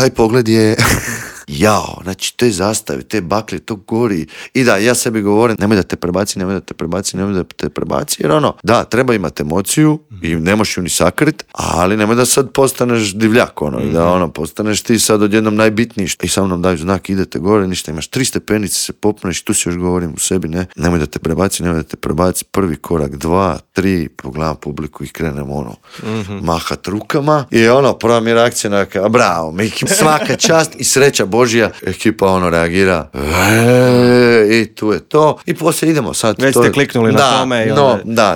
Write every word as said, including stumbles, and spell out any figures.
taj pogled je... Jao, znači te zastave, te baklje, to gori. I da, ja sebi govorim, nemoj da te prebaci, nemoj da te prebaci, nemoj da te prebaci, jer ono, da, treba imati emociju i ne možeš ju ni sakrit, ali nemoj da sad postaneš divljak, ono, i da ono, postaneš ti sad odjednom najbitniji. I sa mnom daju znak, idete gore, ništa, imaš tri stepenice, se popneš, tu si još govorim u sebi, ne, nemoj da te prebaci, nemoj da te prebaci, prvi korak, dva, tri, pogledam publiku i krenem, ono, mm-hmm. mahat rukama i ono, prva mi reakcija neka, bravo, Miki, svaka čast i sreća Božja, ekipa ono reagira eee, i tu je to i poslije idemo sad. Već to ste je, kliknuli da, na tome i no, onda... da,